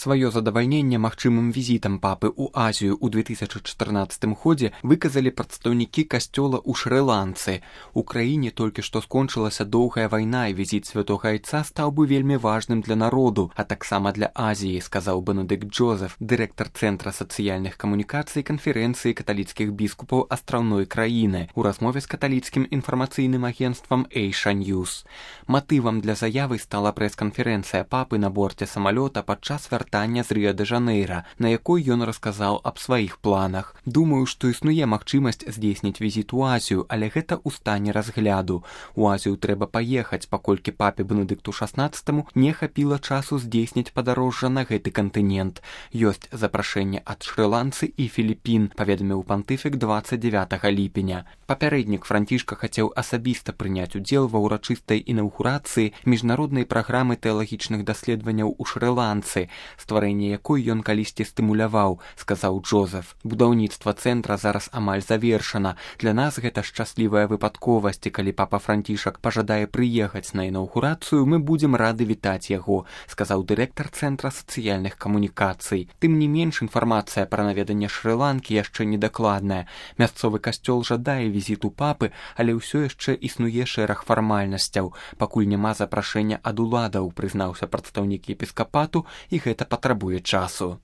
Сваё задавальненне магчымым візітам папы ў Азію ў 2014 годзе выказалі прадстаўнікі касцёла ў Шры-Ланцы. У краіне толькі што скончылася доўгая вайна, і візіт святога айца стаў бы вельмі важным для народу, а таксама для Азіі, сказаў Бенедыкт Джозеф, дырэктар Цэнтра сацыяльных камунікацый канферэнцыі каталіцкіх біскупаў астраўной краіны, у размове з каталіцкім інфармацыйным агенцтвам Эйша Ньюс. Матывам для заявы стала прэс-канферэнцыя папы на борце самалёта падчас вяртання з Рыа-дэ-Жанэйра, на якой ён расказаў аб сваіх планах. Думаю, што існуе магчымасць здзейсніць візіт у Азію, але гэта ў стане разгляду. У Азію трэба паехаць, паколькі папе Бенедыкту XVI не хапіла часу здзейсніць падарожжа на гэты кантынент. Ёсць запрашэнне ад Шры-Ланцы і Філіпін, паведаміў пантыфік 29 ліпеня. Папярэднік Францішка хацеў асабіста прыняць удзел ва ўрачыстай інаўгурацыі міжнароднай праграмы тэалагічных даследаванняў у Шры-Ланцы, стварэнне якой ён калісьці стымуляваў, сказаў Джозеф. Будаўніцтва цэнтра зараз амаль завершана. Для нас гэта шчаслівая выпадковасць, і калі папа Францішак пажадае прыехаць на інаўгурацыю, мы будзем рады вітаць яго, сказаў дырэктар Цэнтра сацыяльных камунікацый. Тым не менш, інфармацыя пра наведанне Шры-Ланкі яшчэ недакладная. Мясцовы касцёл жадае візіту папы, але ўсё яшчэ існуе шэраг фармальнасцяў. Пакуль няма запрашэння ад уладаў, прызнаўся прадстаўнік епіскапату, і гэта патрабуе часу.